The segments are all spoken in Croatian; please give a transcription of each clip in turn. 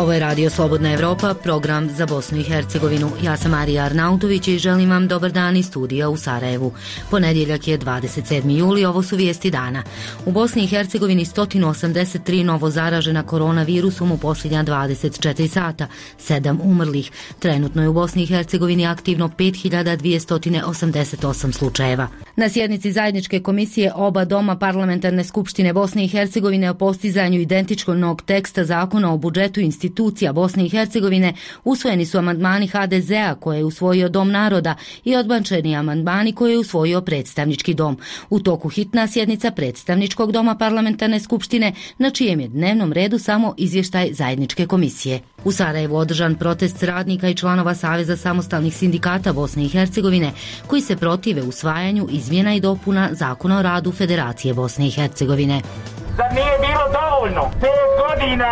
Ovo je Radio Slobodna Evropa, program za Bosnu i Hercegovinu. Ja sam Marija Arnautović i želim vam dobar dan iz studija u Sarajevu. Ponedjeljak je 27. juli, ovo su vijesti dana. U Bosni i Hercegovini 183 novo zaražena koronavirusom u posljednja 24 sata, 7 umrlih. Trenutno je u Bosni i Hercegovini aktivno 5288 slučajeva. Na sjednici zajedničke komisije oba doma Parlamentarne skupštine Bosne i Hercegovine o postizanju identičnog teksta zakona o budžetu institucija Bosne i Hercegovine usvojeni su amandmani HDZ-a koje je usvojio Dom naroda i odbačeni amandmani koje je usvojio Predstavnički dom. U toku hitna sjednica Predstavničkog doma Parlamentarne skupštine, na čijem je dnevnom redu samo izvještaj zajedničke komisije. U Sarajevu održan protest radnika i članova Saveza samostalnih sindikata Bosne i Hercegovine koji se protive usvajanju izmjena i dopuna Zakona o radu Federacije Bosne i Hercegovine. Zar nije bilo dovoljno 5 godina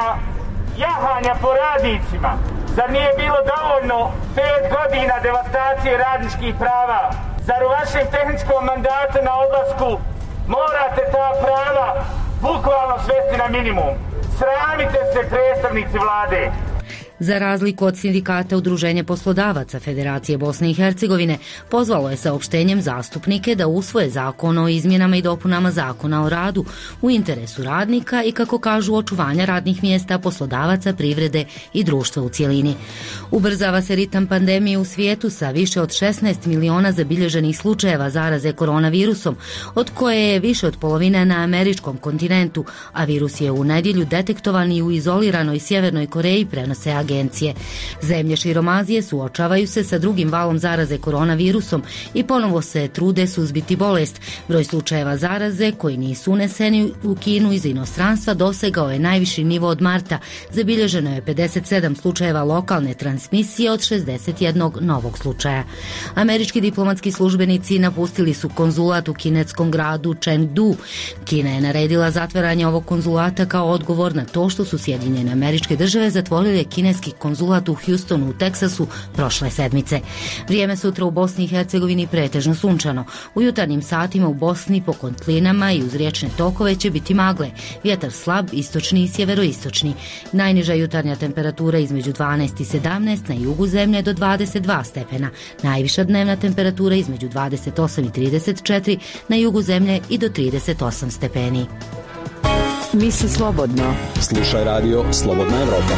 jahanja po radnicima? Zar nije bilo dovoljno 5 godina devastacije radničkih prava? Zar u vašem tehničkom mandatu na odlasku morate ta prava bukvalno svesti na minimum? Sramite se, predstavnici vlade! Za razliku od sindikata Udruženje poslodavaca Federacije Bosne i Hercegovine pozvalo je saopštenjem zastupnike da usvoje zakon o izmjenama i dopunama Zakona o radu u interesu radnika i, kako kažu, očuvanja radnih mjesta, poslodavaca, privrede i društva u cjelini. Ubrzava se ritam pandemije u svijetu sa više od 16 miliona zabilježenih slučajeva zaraze koronavirusom, od koje je više od polovine na američkom kontinentu, a virus je u nedjelju detektovan i u izoliranoj Sjevernoj Koreji, prenose agencije. Zemlje širom Azije suočavaju se sa drugim valom zaraze koronavirusom i ponovo se trude suzbiti bolest. Broj slučajeva zaraze koji nisu uneseni u Kinu iz inostranstva dosegao je najviši nivo od marta. Zabilježeno je 57 slučajeva lokalne transmisije od 61 novog slučaja. Američki diplomatski službenici napustili su konzulat u kinetskom gradu Chengdu. Kina je naredila zatvaranje ovog konzulata kao odgovor na to što su Sjedinjene Američke Države zatvorile kineski konzulat u Houstonu u Teksasu prošle sedmice. Vrijeme sutra u Bosni i Hercegovini pretežno sunčano. U jutarnjim satima u Bosni po kotlinama i uz riječne tokove će biti magle. Vjetar slab, istočni i sjeveroistočni. Najniža jutarnja temperatura između 12 i 17, na jugu zemlje do 22 stepena. Najviša dnevna temperatura između 28 i 34, na jugu zemlje i do 38 stepeni. Misli slobodno. Slušaj radio Slobodna Evropa.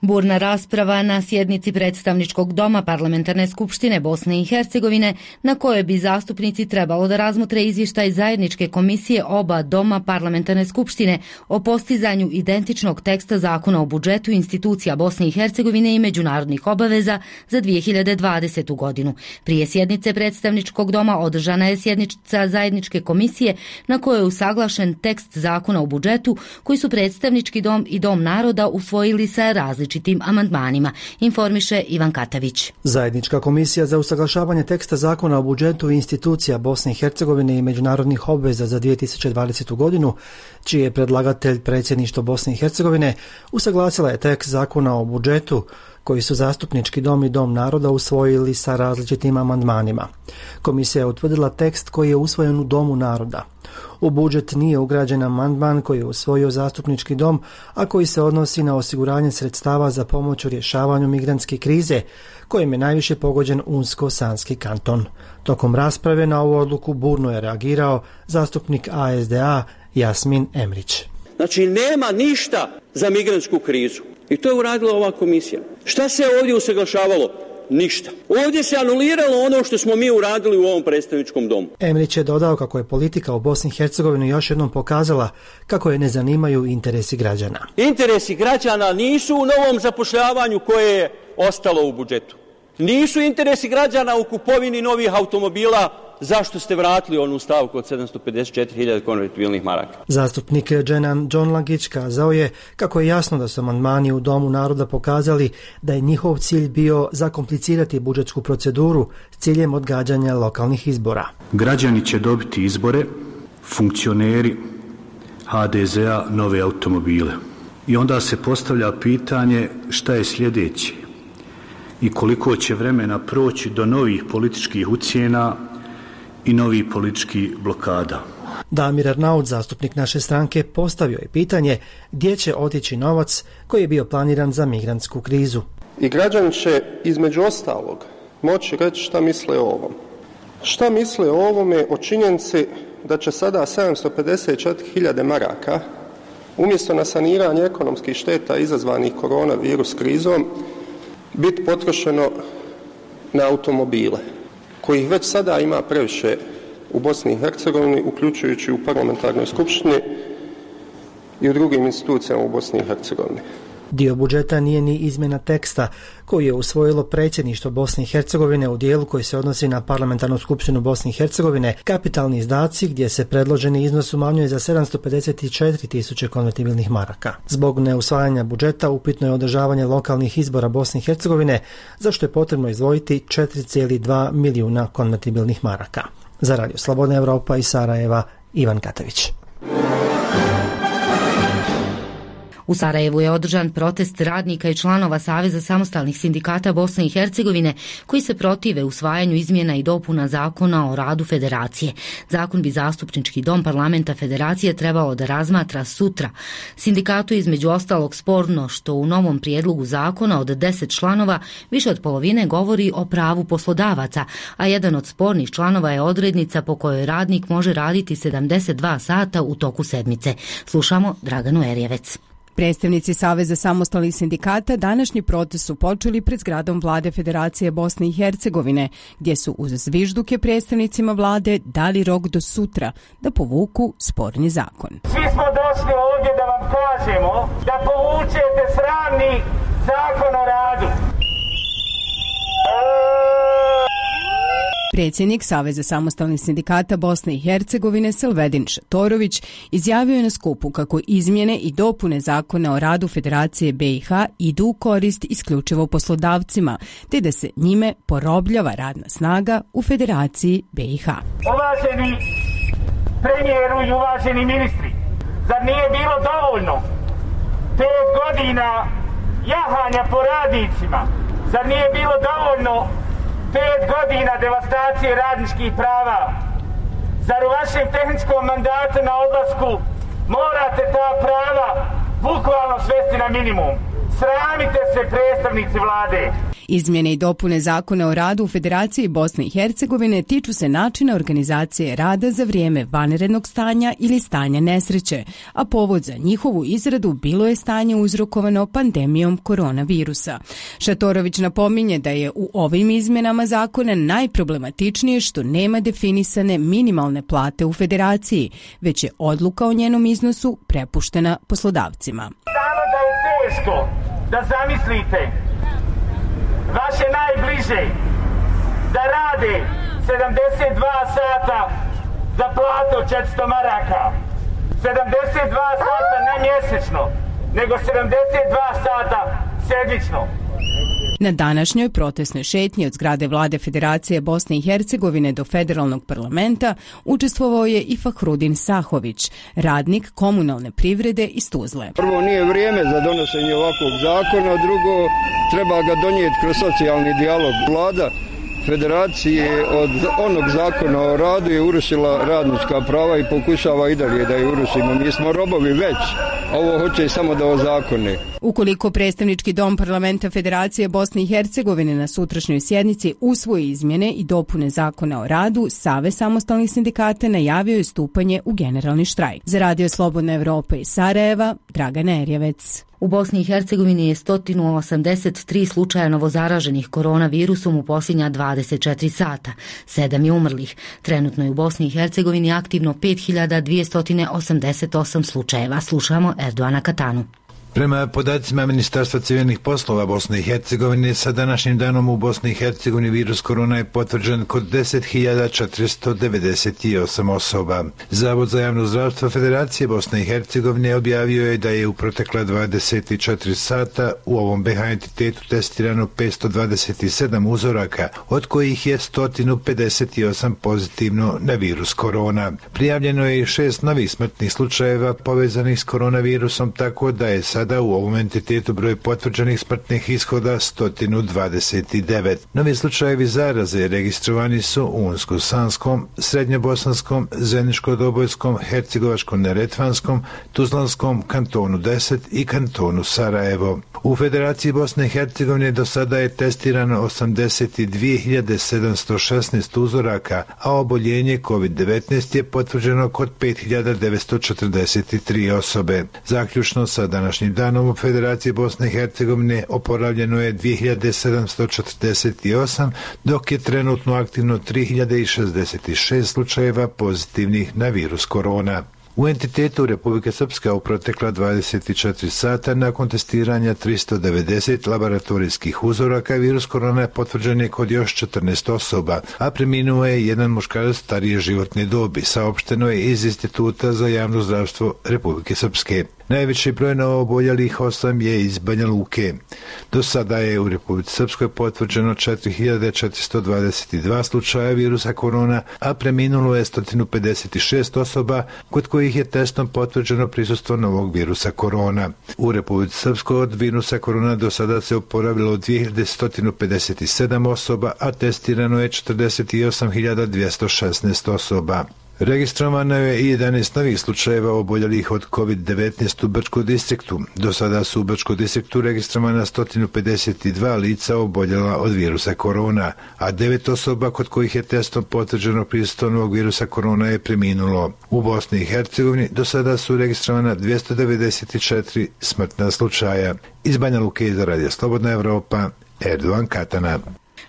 Burna rasprava na sjednici Predstavničkog doma Parlamentarne skupštine Bosne i Hercegovine, na kojoj bi zastupnici trebalo da razmotre izvještaj zajedničke komisije oba doma Parlamentarne skupštine o postizanju identičnog teksta zakona o budžetu institucija Bosne i Hercegovine i međunarodnih obaveza za 2020. godinu. Prije sjednice Predstavničkog doma održana je sjednica zajedničke komisije na kojoj je usaglašen tekst zakona o budžetu koji su Predstavnički dom i Dom naroda usvojili sa različitim amandmanima, informiše Ivan Katavić. Zajednička komisija za usaglašavanje teksta zakona o budžetu institucija Bosne i Hercegovine i međunarodnih obveza za 2020. godinu, čiji je predlagatelj predsjedništvo Bosne i Hercegovine, usaglasila je tekst zakona o budžetu koji su Zastupnički dom i Dom naroda usvojili sa različitim amandmanima. Komisija je utvrdila tekst koji je usvojen u Domu naroda. U budžet nije ugrađen amandman koji je usvojio Zastupnički dom, a koji se odnosi na osiguranje sredstava za pomoć u rješavanju migrantske krize, kojim je najviše pogođen Unsko-Sanski kanton. Tokom rasprave na ovu odluku burno je reagirao zastupnik ASDA Jasmin Emrić. Znači, nema ništa za migrantsku krizu. I to je uradila ova komisija. Šta se ovdje usaglašavalo? Ništa. Ovdje se anuliralo ono što smo mi uradili u ovom predstavničkom domu. Emrić je dodao kako je politika u Bosni i Hercegovini još jednom pokazala kako je ne zanimaju interesi građana. Interesi građana nisu u novom zapošljavanju koje je ostalo u budžetu. Nisu interesi građana u kupovini novih automobila. Zašto ste vratili onu stavku od 754.000 konvertibilnih maraka? Zastupnik Dženan Džonlagić kazao je kako je jasno da su amandmani u Domu naroda pokazali da je njihov cilj bio zakomplicirati budžetsku proceduru s ciljem odgađanja lokalnih izbora. Građani će dobiti izbore, funkcioneri HDZ-a nove automobile. I onda se postavlja pitanje šta je sljedeće i koliko će vremena proći do novih političkih ucjena i novih političkih blokada. Damir Arnaut, zastupnik naše stranke, postavio je pitanje gdje će otići novac koji je bio planiran za migrantsku krizu. I građani će između ostalog moći reći šta misle o ovom. Šta misle o ovome, o činjenici da će sada 754.000 maraka umjesto na saniranje ekonomskih šteta izazvanih koronavirus krizom biti potrošeno na automobile, kojih već sada ima previše u Bosni i Hercegovini, uključujući u parlamentarnoj skupštini i u drugim institucijama u Bosni i Hercegovini. Dio budžeta nije ni izmjena teksta koji je usvojilo predsjedništvo Bosne i Hercegovine u dijelu koji se odnosi na parlamentarnu skupštinu Bosne i Hercegovine, kapitalni izdaci gdje se predloženi iznos umanjuje za 754.000 konvertibilnih maraka. Zbog neusvajanja budžeta upitno je održavanje lokalnih izbora Bosne i Hercegovine, za što je potrebno izdvojiti 4,2 milijuna konvertibilnih maraka. Za Radio Slobodna Evropa iz Sarajeva, Ivan Katavić. U Sarajevu je održan protest radnika i članova Saveza samostalnih sindikata Bosne i Hercegovine koji se protive usvajanju izmjena i dopuna Zakona o radu Federacije. Zakon bi Zastupnički dom parlamenta Federacije trebao da razmatra sutra. Sindikatu između ostalog sporno što u novom prijedlogu zakona od 10 članova više od polovine govori o pravu poslodavaca, a jedan od spornih članova je odrednica po kojoj radnik može raditi 72 sata u toku sedmice. Slušamo Draganu Erjevec. Predstavnici Saveza samostalnih sindikata današnji protest su počeli pred zgradom vlade Federacije Bosne i Hercegovine, gdje su uz zvižduke predstavnicima vlade dali rok do sutra da povuku sporni zakon. Svi smo došli ovdje da vam kažemo da povučete sramni zakon o radu. Predsjednik Saveza samostalnih sindikata Bosne i Hercegovine Selvedin Šatorović izjavio je na skupu kako izmjene i dopune Zakona o radu Federacije BiH idu u korist isključivo poslodavcima, te da se njime porobljava radna snaga u Federaciji BiH. Uvaženi premijeru i uvaženi ministri, zar nije bilo dovoljno 5 godina jahanja po radnicima? Zar nije bilo dovoljno 5 godina devastacije radničkih prava? Zar u vašem tehničkom mandatu na odlasku morate ta prava bukvalno svesti na minimum? Sramite se, predstavnici vlade! Izmjene i dopune Zakona o radu u Federaciji Bosne i Hercegovine tiču se načina organizacije rada za vrijeme vanrednog stanja ili stanja nesreće, a povod za njihovu izradu bilo je stanje uzrokovano pandemijom koronavirusa. Šatorović napominje da je u ovim izmjenama zakona najproblematičnije što nema definisane minimalne plate u Federaciji, već je odluka o njenom iznosu prepuštena poslodavcima. Samo da je teško da zamislite vaše najbliže da rade 72 sata za platu od 400 maraka. 72 sata ne mjesečno, nego 72 sata sedmično. Na današnjoj protestnoj šetnji od zgrade vlade Federacije Bosne i Hercegovine do federalnog parlamenta učestvovao je i Fahrudin Sahović, radnik komunalne privrede iz Tuzle. Prvo, nije vrijeme za donošenje ovakvog zakona, drugo, treba ga donijeti kroz socijalni dijalog. Vlada Federacije od onog zakona o radu je urušila radnička prava i pokušava i dalje da je urušimo. Mi smo robovi već, a ovo hoće samo da ozakone. Ukoliko predstavnički dom parlamenta Federacije Bosne i Hercegovine na sutrašnjoj sjednici usvoji izmjene i dopune Zakona o radu, Savez samostalnih sindikata najavio je stupanje u generalni štrajk. Za Radio Slobodna Evropa iz Sarajeva, Dragana Erjevec. U Bosni i Hercegovini je 183 slučaja novozaraženih koronavirusom u posljednja 24 sata. 7 je umrlih. Trenutno je u Bosni i Hercegovini aktivno 5288 slučajeva. Slušamo Erdoana Katanu. Prema podacima Ministarstva civilnih poslova Bosne i Hercegovine, sa današnjim danom u Bosni i Hercegovini virus korona je potvrđen kod 10.498 osoba. Zavod za javno zdravstvo Federacije Bosne i Hercegovine objavio je da je u protekla 24 sata u ovom BiH entitetu testirano 527 uzoraka, od kojih je 158 pozitivno na virus korona. Prijavljeno je i 6 novih smrtnih slučajeva povezanih s koronavirusom, tako da je sa sada u ovom entitetu broj potvrđenih smrtnih ishoda 129. Novi slučajevi zaraze registrovani su u Unsko-Sanskom, Srednjobosanskom, Zeničko-Dobojskom, Hercegovačko-Neretvanskom, Tuzlanskom, kantonu 10 i kantonu Sarajevo. U Federaciji Bosne i Hercegovine do sada je testirano 82.716 uzoraka, a oboljenje COVID-19 je potvrđeno kod 5.943 osobe. Zaključno sa današnjim danom u Federaciji Bosne i Hercegovine oporavljeno je 2.748, dok je trenutno aktivno 3.066 slučajeva pozitivnih na virus korona. U entitetu Republike Srpska u protekla 24 sata nakon testiranja 390 laboratorijskih uzoraka virus korona potvrđen je kod još 14 osoba, a preminuo je jedan muškarac starije životne dobi, saopšteno je iz Instituta za javno zdravstvo Republike Srpske. Najveći broj novooboljelih 8 je iz Banja Luke. Do sada je u Republici Srpskoj potvrđeno 4.422 slučaja virusa korona, a preminulo je 156 osoba kod kojih je testom potvrđeno prisustvo novog virusa korona. U Republici Srpskoj od virusa korona do sada se oporavilo 2.157 osoba, a testirano je 48.216 osoba. Registrovano je i 11 novih slučajeva oboljelih od COVID-19 u Brčkom distriktu. Do sada su u Brčkom distriktu registrovana 152 lica oboljela od virusa korona, a 9 osoba kod kojih je testom potvrđeno prisustvo novog virusa korona je preminulo. U Bosni i Hercegovini do sada su registrovana 294 smrtna slučaja. Iz Banja Luke za Radio Slobodna Evropa, Erdovan Katana.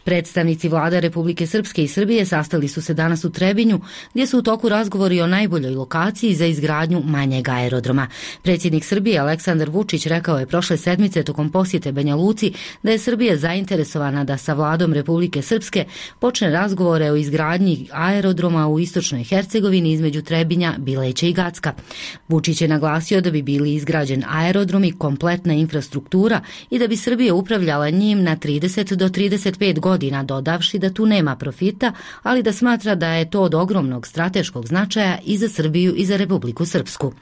Predstavnici vlada Republike Srpske i Srbije sastali su se danas u Trebinju, gdje su u toku razgovori o najboljoj lokaciji za izgradnju manjeg aerodroma. Predsjednik Srbije Aleksandar Vučić rekao je prošle sedmice tokom posjete Banja Luci da je Srbija zainteresovana da sa vladom Republike Srpske počne razgovore o izgradnji aerodroma u istočnoj Hercegovini između Trebinja, Bileća i Gacka. Vučić je naglasio da bi bili izgrađen aerodrom i kompletna infrastruktura i da bi Srbija upravljala njim na 30 do 35 godina, dodavši da tu nema profita, ali da smatra da je to od ogromnog strateškog značaja i za Srbiju i za Republiku Srpsku.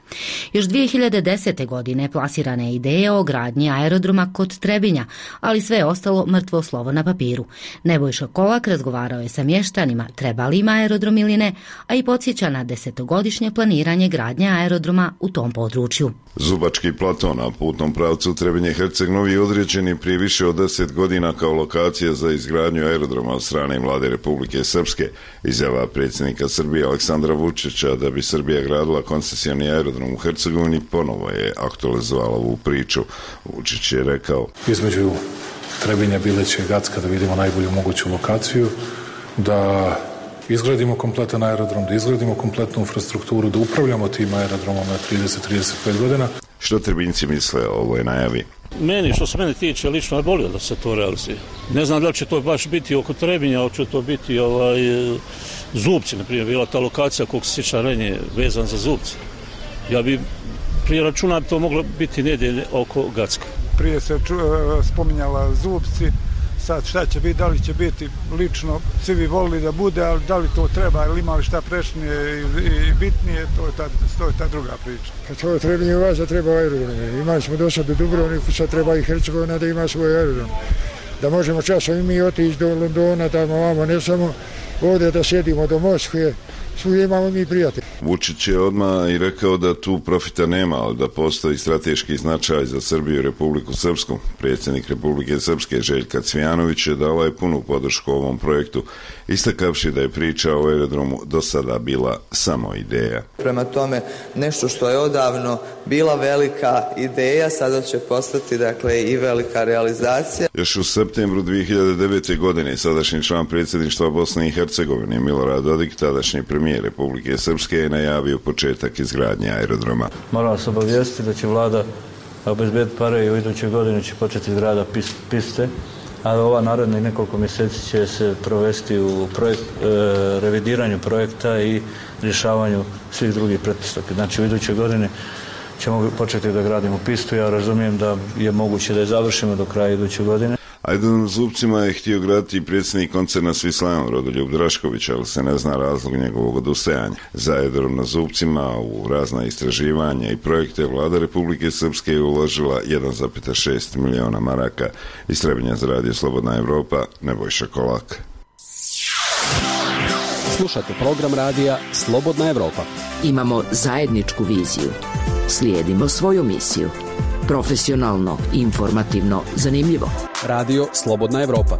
Još 2010. godine plasirana je ideja o gradnji aerodroma kod Trebinja, ali sve je ostalo mrtvo slovo na papiru. Nebojša Kolak razgovarao je sa mještanima treba li im aerodrom ili ne, a i podsjeća na 10-godišnje planiranje gradnje aerodroma u tom području. Zubački plato na putnom pravcu Trebinje-Herceg Novi je određen prije više od 10 godina kao lokacija za izgradnju aerodroma od strane vlade Republike Srpske. Izjava predsjednika Srbije Aleksandra Vučića da bi Srbija gradila koncesioni aerodrom u Hercegovini ponovo je aktualizovala ovu priču. Vučić je rekao: između Trebinja, Bileća i Gacka da vidimo najbolju moguću lokaciju, da izgradimo kompletan aerodrom, da izgradimo kompletnu infrastrukturu, da upravljamo tim aerodromom na 30-35 godina. Što Trebinjci misle o ovoj najavi? Meni, što se mene tiče, lično je bolje da se to realizuje. Ne znam da li će to baš biti oko Trebinja, ali će to biti Zubci, na primjer, bila ta lokacija koliko se sjeća ranije vezan za Zubci. Ja bi prije računa to moglo biti nedjelje oko Gacka. Prije se spominjala Zubci, sad šta će biti, da li će biti lično, svi bi volili da bude, ali da li to treba ili ima li šta prešnije i bitnije, to je ta druga priča. Kad to Trebinje u vas da treba aerodrom, imali smo do sada u Dubrovniku, sad treba i Hercegovina da ima svoj aerodrom. Da možemo časom i mi otići do Londona, tamo vamo, ne samo ovdje da sjedimo do Moskve, svugdje imamo mi prijatelji. Vučić je odmah i rekao da tu profita nema, ali da postoji strateški značaj za Srbiju i Republiku Srpsku. Predsjednik Republike Srpske Željka Cvijanović je dala je punu podršku ovom projektu, istakavši da je priča o aerodromu do sada bila samo ideja. Prema tome, nešto što je odavno bila velika ideja, sada će postati i velika realizacija. Još u septembru 2009. godine sadašnji član predsjedništva Bosne i Hercegovine Milorad Dodik, tadašnji premijer Republike Srpske, je najavio početak izgradnje aerodroma. Moram vas obavijestiti da će vlada obezbediti pare i u idućoj godini će početi izgrada piste, a ova narednih nekoliko mjeseci će se provesti u revidiranju projekta i rješavanju svih drugih pretpostavki. Znači u idućoj godini ćemo početi da gradimo pistu. Ja razumijem da je moguće da je završimo do kraja iduće godine. Aerodromozupcima je htio graditi predsjednik koncerna Swislam Rodoljub Drašković, ali se ne zna razlog njegovog odustajanja. Za aerodrom na Zupcima u razna istraživanja i projekte vlada Republike Srpske je uložila 1,6 miliona maraka. Iz Trebinja za radio Slobodna Evropa, Nebojša Kolak. Slušate program radija Slobodna Evropa. Imamo zajedničku viziju. Slijedimo svoju misiju. Profesionalno, informativno, zanimljivo. Radio Slobodna Evropa.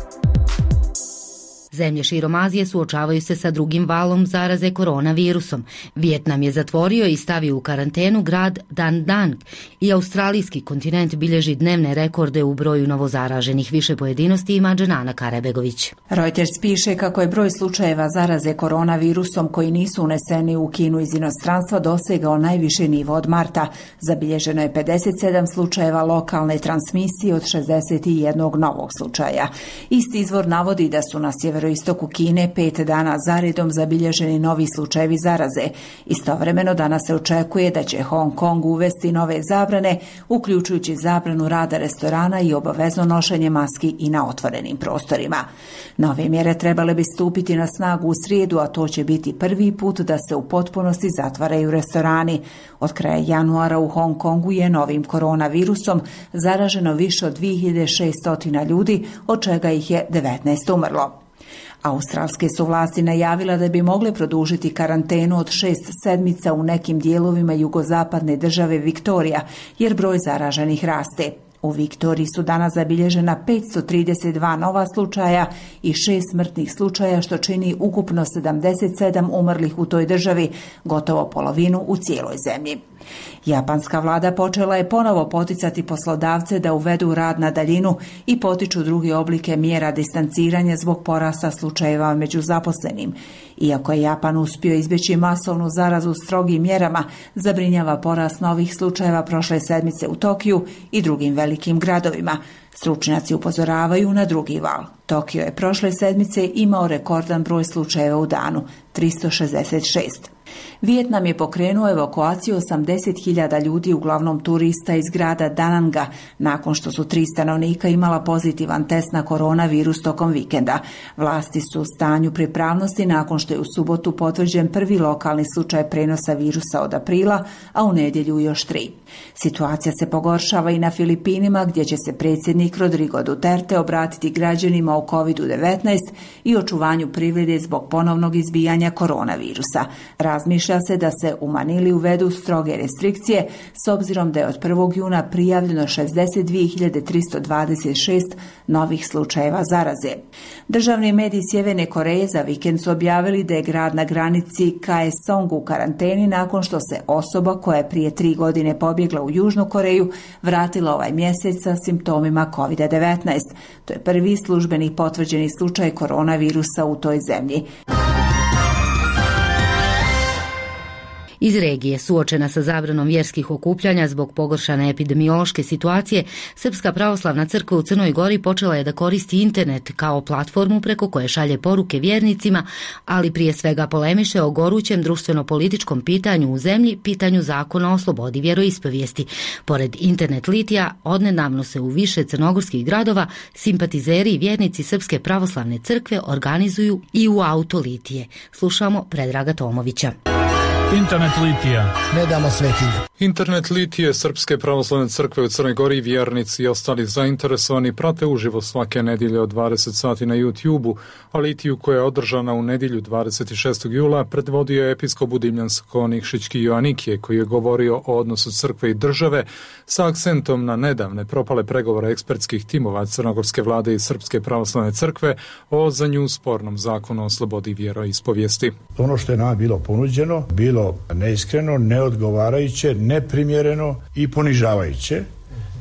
Zemlje širom Azije suočavaju se sa drugim valom zaraze koronavirusom. Vijetnam je zatvorio i stavio u karantenu grad Dan Nang i australijski kontinent bilježi dnevne rekorde u broju novozaraženih. Više pojedinosti ima Dženana Karabegović. Reuters piše kako je broj slučajeva zaraze koronavirusom koji nisu uneseni u Kinu iz inostranstva dosegao najviši nivo od marta. Zabilježeno je 57 slučajeva lokalne transmisije od 61 novog slučaja. Isti izvor navodi da su na sjeveroistoku Kine 5 dana zaredom zabilježeni novi slučajevi zaraze. Istovremeno danas se očekuje da će Hong Kong uvesti nove zabrane, uključujući zabranu rada restorana i obavezno nošenje maski i na otvorenim prostorima. Nove mjere trebale bi stupiti na snagu u srijedu, a to će biti prvi put da se u potpunosti zatvaraju restorani. Od kraja januara u Hong Kongu je novim koronavirusom zaraženo više od 2600 ljudi, od čega ih je 19 umrlo. Australske su vlasti najavila da bi mogle produžiti karantenu od 6 sedmica u nekim dijelovima jugozapadne države Viktorija, jer broj zaraženih raste. U Viktoriji su danas zabilježena 532 nova slučaja i 6 smrtnih slučaja, što čini ukupno 77 umrlih u toj državi, gotovo polovinu u cijeloj zemlji. Japanska vlada počela je ponovo poticati poslodavce da uvedu rad na daljinu i potiču druge oblike mjera distanciranja zbog porasta slučajeva među zaposlenim. Iako je Japan uspio izbjeći masovnu zarazu strogim mjerama, zabrinjava porast novih slučajeva prošle sedmice u Tokiju i drugim velikim gradovima. Stručnjaci upozoravaju na drugi val. Tokio je prošle sedmice imao rekordan broj slučajeva u danu, 366. Vijetnam je pokrenuo evakuaciju 80.000 ljudi, uglavnom turista iz grada Dananga, nakon što su 3 stanovnika imala pozitivan test na koronavirus tokom vikenda. Vlasti su u stanju pripravnosti nakon što je u subotu potvrđen prvi lokalni slučaj prenosa virusa od aprila, a u nedjelju još 3. Situacija se pogoršava i na Filipinima, gdje će se predsjednik Rodrigo Duterte obratiti građanima o COVID-19 i očuvanju privrede zbog ponovnog izbijanja koronavirusa. Razmišlja se da se u Manili uvedu stroge restrikcije, s obzirom da je od 1. juna prijavljeno 62.326 novih slučajeva zaraze. Državni mediji Sjeverne Koreje za vikend su objavili da je grad na granici Kaesong u karanteni nakon što se osoba koja je prije 3 godine pobjegla u Južnu Koreju vratila ovaj mjesec sa simptomima COVID-19. To je prvi službeni potvrđeni slučaj koronavirusa u toj zemlji. Iz regije, suočena sa zabranom vjerskih okupljanja zbog pogoršane epidemiološke situacije, Srpska pravoslavna crkva u Crnoj Gori počela je da koristi internet kao platformu preko koje šalje poruke vjernicima, ali prije svega polemiše o gorućem društveno-političkom pitanju u zemlji, pitanju zakona o slobodi vjeroispovijesti. Pored internet litija, odnedavno se u više crnogorskih gradova simpatizeri i vjernici Srpske pravoslavne crkve organizuju i u auto litije. Slušamo Predraga Tomovića. Internet litija. Ne damo svetinje. Internet litije Srpske pravoslavne crkve u Crnoj Gori, vjernici i ostali zainteresovani prate uživo svake nedjelje od 20 sati na YouTube-u, a litiju koja je održana u nedjelju 26. jula predvodio je episkop Budimljansko-Nikšićki Joanikije, koji je govorio o odnosu crkve i države sa akcentom na nedavne propale pregovore ekspertskih timova crnogorske vlade i Srpske pravoslavne crkve o za nju spornom zakonu o slobodi vjeroispovijesti. Ono što je nama bilo ponuđeno, bilo neiskreno, neodgovarajuće, neprimjereno i ponižavajuće.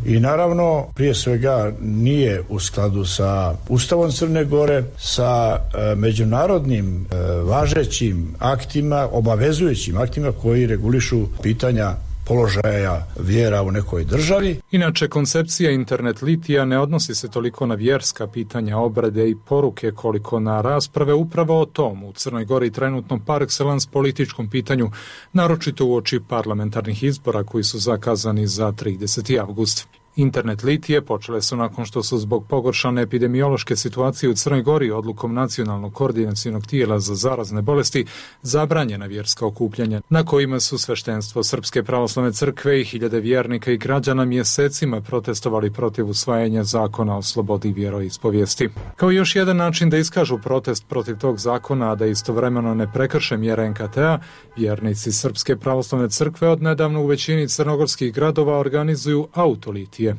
I naravno, prije svega nije u skladu sa Ustavom Crne Gore, sa međunarodnim važećim aktima, obavezujućim aktima koji regulišu pitanja položaja vjera u nekoj državi. Inače, koncepcija internet litija ne odnosi se toliko na vjerska pitanja, obrade i poruke koliko na rasprave upravo o tom u Crnoj Gori trenutno par excellence političkom pitanju, naročito uoči parlamentarnih izbora koji su zakazani za 30. avgust. Internet litije počele su nakon što su zbog pogoršane epidemiološke situacije u Crnoj Gori odlukom Nacionalnog koordinacionog tijela za zarazne bolesti zabranjena vjerska okupljanja, na kojima su sveštenstvo Srpske pravoslavne crkve i hiljade vjernika i građana mjesecima protestovali protiv usvajanja zakona o slobodi vjeroispovijesti. Kao još jedan način da iskažu protest protiv tog zakona, a da istovremeno ne prekrše mjere NKT-a, vjernici Srpske pravoslavne crkve odnedavno u većini crnogorskih gradova organizuju autolitije.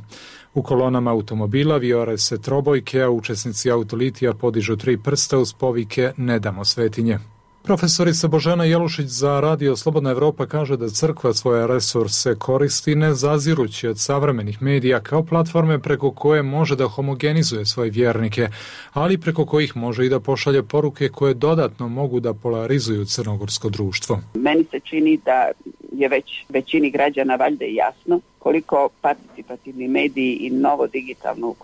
U kolonama automobila vijore se trobojke, a učesnici autolitija podižu 3 prsta uz povike "Ne damo svetinje". Profesorica Božena Jelušić za Radio Slobodna Evropa kaže da crkva svoje resurse koristi ne zazirući od savremenih medija kao platforme preko koje može da homogenizuje svoje vjernike, ali preko kojih može i da pošalje poruke koje dodatno mogu da polarizuju crnogorsko društvo. Meni se čini da je već većini građana valjda jasno koliko participativni mediji i novo digitalno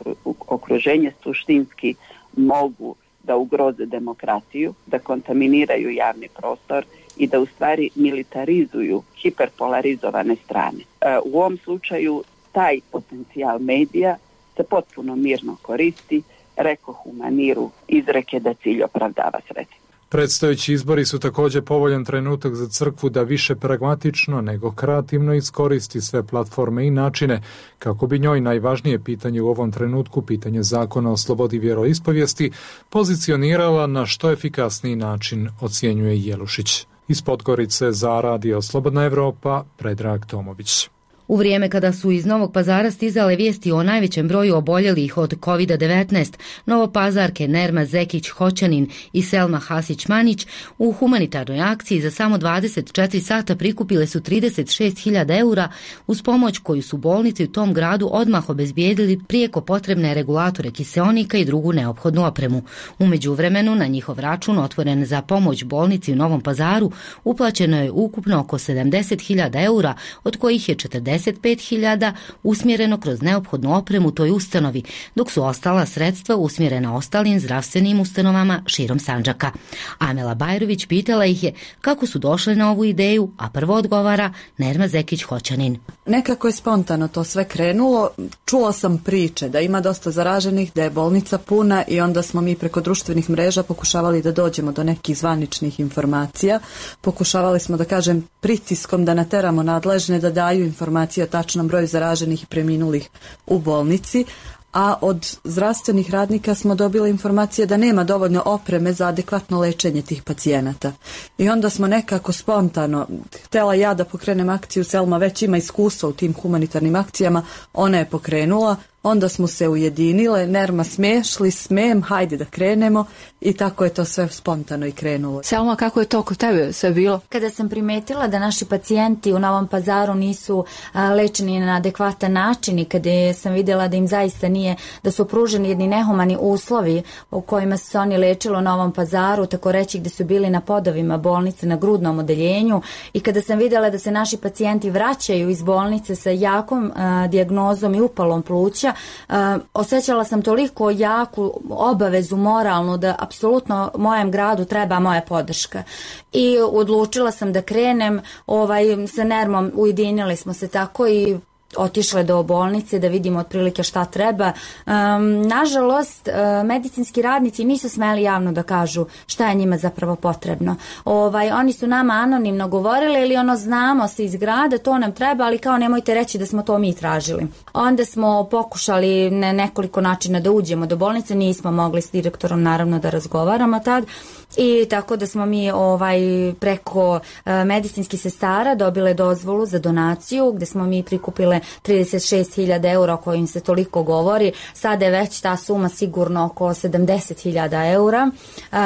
okruženje suštinski mogu da ugroze demokratiju, da kontaminiraju javni prostor i da u stvari militarizuju hiperpolarizovane strane. U ovom slučaju taj potencijal medija se potpuno mirno koristi, rekoh u maniru izreke da cilj opravdava sredstvo. Predstojeći izbori su također povoljan trenutak za crkvu da više pragmatično nego kreativno iskoristi sve platforme i načine kako bi njoj najvažnije pitanje u ovom trenutku, pitanje zakona o slobodi vjeroispovijesti, pozicionirala na što efikasniji način, ocjenjuje Jelušić. Iz Podgorice za Radio Slobodna Evropa, Predrag Tomović. U vrijeme kada su iz Novog Pazara stizale vijesti o najvećem broju oboljelih od COVID-19, novopazarke Nerma Zekić-Hoćanin i Selma Hasić-Manić u humanitarnoj akciji za samo 24 sata prikupile su 36.000 eura uz pomoć koju su bolnice u tom gradu odmah obezbijedili prijeko potrebne regulatore kiseonika i drugu neophodnu opremu. U međuvremenu na njihov račun otvoren za pomoć bolnici u Novom Pazaru uplaćeno je ukupno oko 70.000 eura, od kojih je 45.000 usmjereno kroz neophodnu opremu toj ustanovi, dok su ostala sredstva usmjerena ostalim zdravstvenim ustanovama širom Sandžaka. Amela Bajrović pitala ih je kako su došle na ovu ideju, a prvo odgovara Nerma Zekić-Hoćanin. Nekako je spontano to sve krenulo. Čula sam priče da ima dosta zaraženih, da je bolnica puna i onda smo mi preko društvenih mreža pokušavali da dođemo do nekih zvaničnih informacija. Pokušavali smo, da kažem, pritiskom da nateramo nadležne da daju informacije o tačnom broju zaraženih i preminulih u bolnici, a od zdravstvenih radnika smo dobili informacije da nema dovoljno opreme za adekvatno lečenje tih pacijenata. I onda smo nekako spontano, htjela ja da pokrenem akciju, Selma već ima iskustva u tim humanitarnim akcijama, ona je pokrenula, onda smo se ujedinile, Nerma smem, hajde da krenemo i tako je to sve spontano i krenulo. Selma, kako je to kod tebe sve bilo? Kada sam primetila da naši pacijenti u Novom Pazaru nisu lečeni na adekvatan način i kada sam vidjela da im zaista nije, da su pruženi jedni nehumani uslovi u kojima su se oni lečili u Novom Pazaru, tako reći gdje su bili na podovima bolnice na grudnom odeljenju, i kada sam vidjela da se naši pacijenti vraćaju iz bolnice sa jakom dijagnozom i upalom pluća, osjećala sam toliko jaku obavezu moralnu da apsolutno mojem gradu treba moja podrška. I odlučila sam da krenem, sa Nermom ujedinili smo se tako i otišle do bolnice da vidimo otprilike šta treba. Nažalost, medicinski radnici nisu smeli javno da kažu šta je njima zapravo potrebno. Oni su nama anonimno govorili ili znamo se iz grada, to nam treba, ali kao nemojte reći da smo to mi tražili. Onda smo pokušali na nekoliko načina da uđemo do bolnice, nismo mogli s direktorom naravno da razgovaramo tad, i tako da smo mi preko medicinskih sestara dobile dozvolu za donaciju gdje smo mi prikupile 36.000 eura o kojim se toliko govori. Sada je već ta suma sigurno oko 70.000 eura,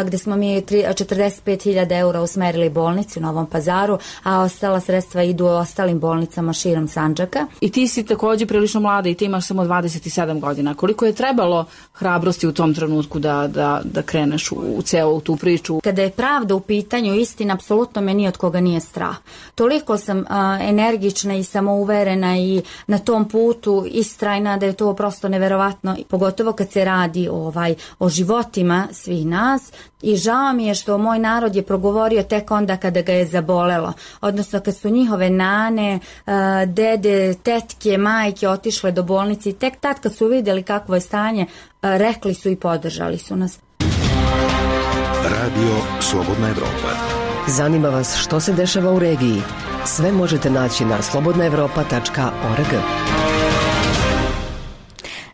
gdje smo mi 45.000 eura usmerili bolnici u Novom Pazaru, a ostala sredstva idu ostalim bolnicama širom Sandžaka. I ti si također prilično mlada i ti imaš samo 27 godina. Koliko je trebalo hrabrosti u tom trenutku da kreneš u celu tu priču? Kada je pravda u pitanju, istina, apsolutno me ni od koga nije strah. Toliko sam energična i samouverena i na tom putu istrajna, da je to prosto neverovatno, pogotovo kad se radi o životima svih nas. I žao mi je što moj narod je progovorio tek onda kada ga je zabolelo, odnosno kad su njihove nane, dede, tetke, majke otišle do bolnice i tek tad kad su vidjeli kakvo je stanje, rekli su i podržali su nas. Radio Slobodna Evropa. Zanima vas što se dešava u regiji? Sve možete naći na slobodnaevropa.org.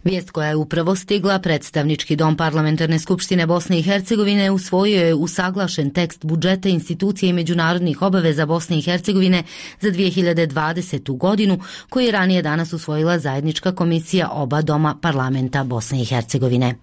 Vijest koja je upravo stigla, predstavnički dom Parlamentarne skupštine Bosne i Hercegovine usvojio je usaglašen tekst budžeta institucije i međunarodnih obaveza Bosne i Hercegovine za 2020. godinu, koji je ranije danas usvojila zajednička komisija oba doma parlamenta Bosne i Hercegovine.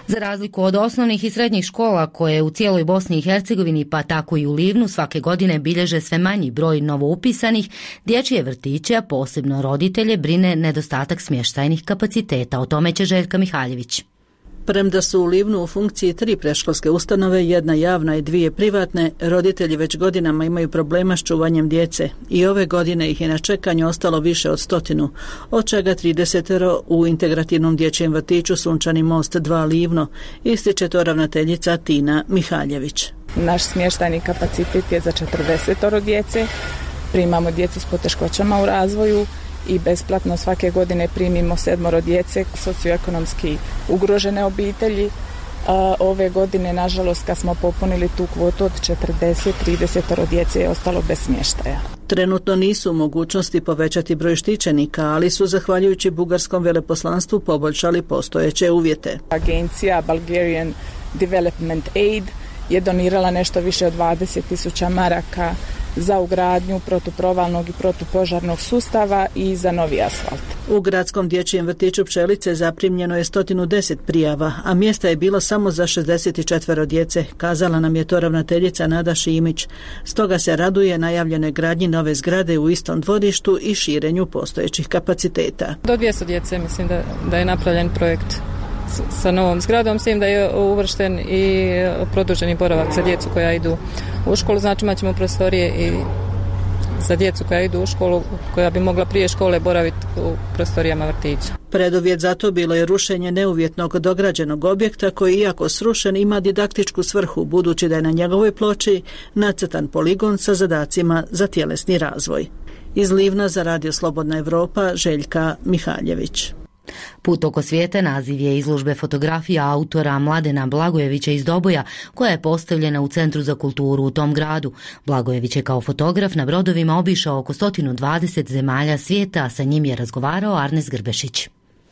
Za razliku od osnovnih i srednjih škola koje u cijeloj Bosni i Hercegovini pa tako i u Livnu svake godine bilježe sve manji broj novoupisanih, dječje vrtiće, a posebno roditelje, brine nedostatak smještajnih kapaciteta. O tome će Željka Mihaljević. Premda su u Livnu u funkciji 3 predškolske ustanove, jedna javna i 2 privatne, roditelji već godinama imaju problema s čuvanjem djece i ove godine ih je na čekanju ostalo više od 100, od čega 30 u integrativnom dječjem vrtiću Sunčani most 2 Livno, ističe to ravnateljica Tina Mihaljević. Naš smještajni kapacitet je za 40 djece, primamo djecu s poteškoćama u razvoju i besplatno svake godine primimo 7 djece socioekonomski ugrožene obitelji. Ove godine, nažalost, kad smo popunili tu kvotu od 30 djece je ostalo bez smještaja. Trenutno nisu u mogućnosti povećati broj štićenika, ali su zahvaljujući bugarskom veleposlanstvu poboljšali postojeće uvjete. Agencija Bulgarian Development Aid je donirala nešto više od 20.000 maraka za ugradnju protuprovalnog i protupožarnog sustava i za novi asfalt. U gradskom dječjem vrtiću Pčelice zaprimljeno je 110 prijava, a mjesta je bilo samo za 64 djece, kazala nam je to ravnateljica Nada Šimić. Stoga se raduje najavljenoj gradnji nove zgrade u istom dvorištu i širenju postojećih kapaciteta. Do 200 djece mislim da je napravljen projekt sa novom zgradom, s tim da je uvršten i produženi boravak za djecu koja idu u školu. Znači imat ćemo prostorije i za djecu koja idu u školu, koja bi mogla prije škole boraviti u prostorijama vrtića. Preduvjet za to bilo je rušenje neuvjetnog dograđenog objekta koji, iako srušen, ima didaktičku svrhu, budući da je na njegovoj ploči nacrtan poligon sa zadacima za tjelesni razvoj. Iz Livna za Radio Slobodna Evropa, Željka Mihaljević. Put oko svijeta naziv je izložbe fotografija autora Mladena Blagojevića iz Doboja, koja je postavljena u Centru za kulturu u tom gradu. Blagojević je kao fotograf na brodovima obišao oko 120 zemalja svijeta, a sa njim je razgovarao Arnes Grbešić.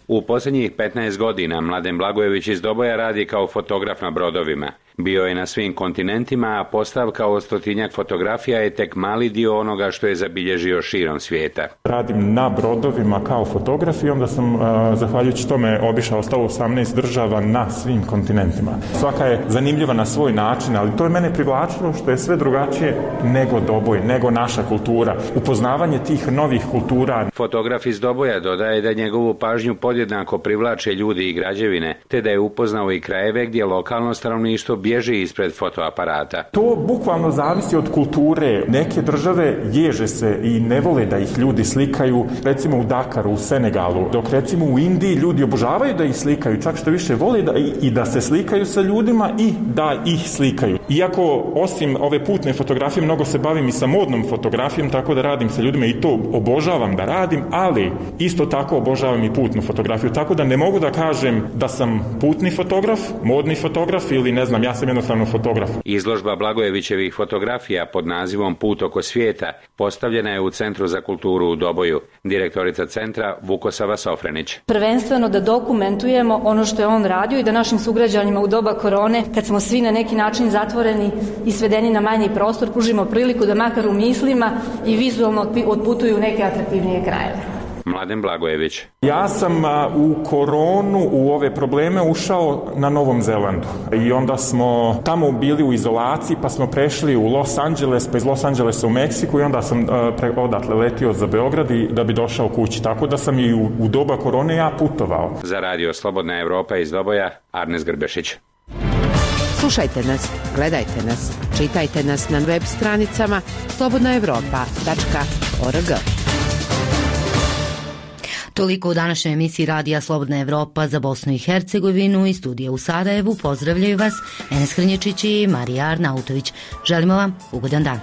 U posljednjih 15 godina Mladen Blagojević iz Doboja radi kao fotograf na brodovima. Bio je na svim kontinentima, a postavka od 100-tinjak fotografija je tek mali dio onoga što je zabilježio širom svijeta. Radim na brodovima kao fotograf i onda sam, zahvaljujući tome, obišao 118 država na svim kontinentima. Svaka je zanimljiva na svoj način, ali to je mene privlačilo što je sve drugačije nego Doboj, nego naša kultura. Upoznavanje tih novih kultura. Fotograf iz Doboja dodaje da njegovu pažnju podjednako privlače ljudi i građevine, te da je upoznao i krajeve gdje lokalno stanovništvo bježi ispred fotoaparata. To bukvalno zavisi od kulture. Neke države ježe se i ne vole da ih ljudi slikaju, recimo u Dakaru, u Senegalu, dok recimo u Indiji ljudi obožavaju da ih slikaju, čak što više vole da se slikaju sa ljudima i da ih slikaju. Iako osim ove putne fotografije mnogo se bavim i sa modnom fotografijom, tako da radim sa ljudima i to obožavam da radim, ali isto tako obožavam i putnu fotografiju, tako da ne mogu da kažem da sam putni fotograf, modni fotograf ili ne znam, ja sam jednostavno fotograf. Izložba Blagojevićevih fotografija pod nazivom Put oko svijeta postavljena je u Centru za kulturu u Doboju. Direktorica centra Vukosava Sofrenić. Prvenstveno da dokumentujemo ono što je on radio i da našim sugrađanima u doba korone, kad smo svi na neki način zatvoreni i svedeni na manji prostor, pružimo priliku da makar u mislima i vizualno otputuju neke atraktivnije krajeve. Mladen Blagojević. Ja sam u koronu, u ove probleme ušao na Novom Zelandu i onda smo tamo bili u izolaciji, pa smo prešli u Los Angeles, pa iz Los Angelesa u Meksiku i onda sam odatle letio za Beograd i da bi došao kući, tako da sam i u doba korone ja putovao. Za Radio Slobodna Evropa iz Doboja, Arnes Grbešić. Slušajte nas, gledajte nas, čitajte nas na web stranicama slobodnaevropa.org. Toliko u današnjoj emisiji Radija Slobodna Evropa za Bosnu i Hercegovinu. Iz studija u Sarajevu pozdravljaju vas Enes Hrnječić i Marija Arnautović. Želimo vam ugodan dan.